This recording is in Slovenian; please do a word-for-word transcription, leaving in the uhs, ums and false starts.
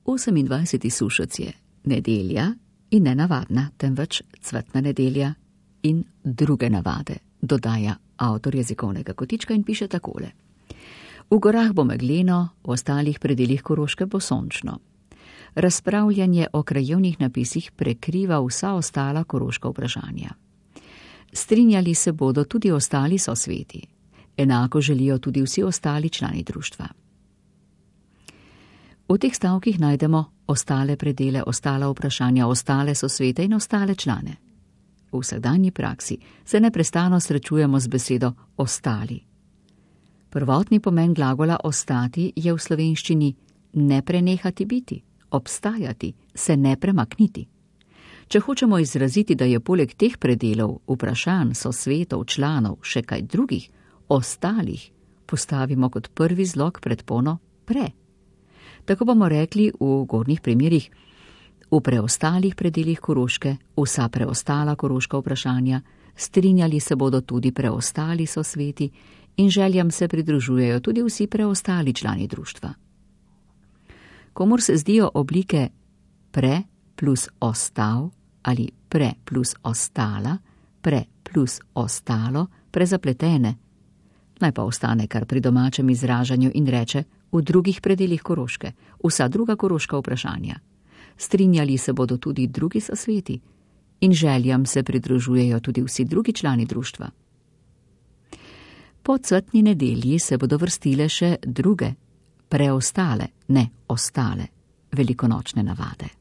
osemindvajseti sušec je nedelja in ne navadna, temveč cvetna nedelja in druge navade, dodaja avtor jezikovnega kotička in piše takole. V gorah bo megleno, v ostalih predelih Koroške bo sončno. Razpravljanje o krajevnih napisih prekriva vsa ostala koroška vprašanja. Strinjali se bodo tudi ostali sosveti. Enako želijo tudi vsi ostali člani društva. V teh stavkih najdemo ostale predele, ostala vprašanja, ostale sosvete in ostale člane. V vsakdanji praksi se neprestano srečujemo z besedo ostali. Prvotni pomen glagola ostati je v slovenščini ne prenehati biti, obstajati, se ne premakniti. Če hočemo izraziti, da je poleg teh predelov, vprašanj, sosvetov, članov še kaj drugih, ostalih, postavimo kot prvi zlog predpono pre. Tako bomo rekli v gornjih primerih, v preostalih predelih Koroške, vsa preostala koroška vprašanja, strinjali se bodo tudi preostali sosveti in željam se pridružujejo tudi vsi preostali člani društva. Komur se zdijo oblike pre plus ostal ali pre plus ostala, pre plus ostalo prezapletene, naj pa ostane kar pri domačem izražanju in reče v drugih predelih Koroške, vsa druga koroška vprašanja. Strinjali se bodo tudi drugi sosveti in željam se pridružujejo tudi vsi drugi člani društva. Po cvetni nedelji se bodo vrstile še druge, preostale, ne ostale, velikonočne navade.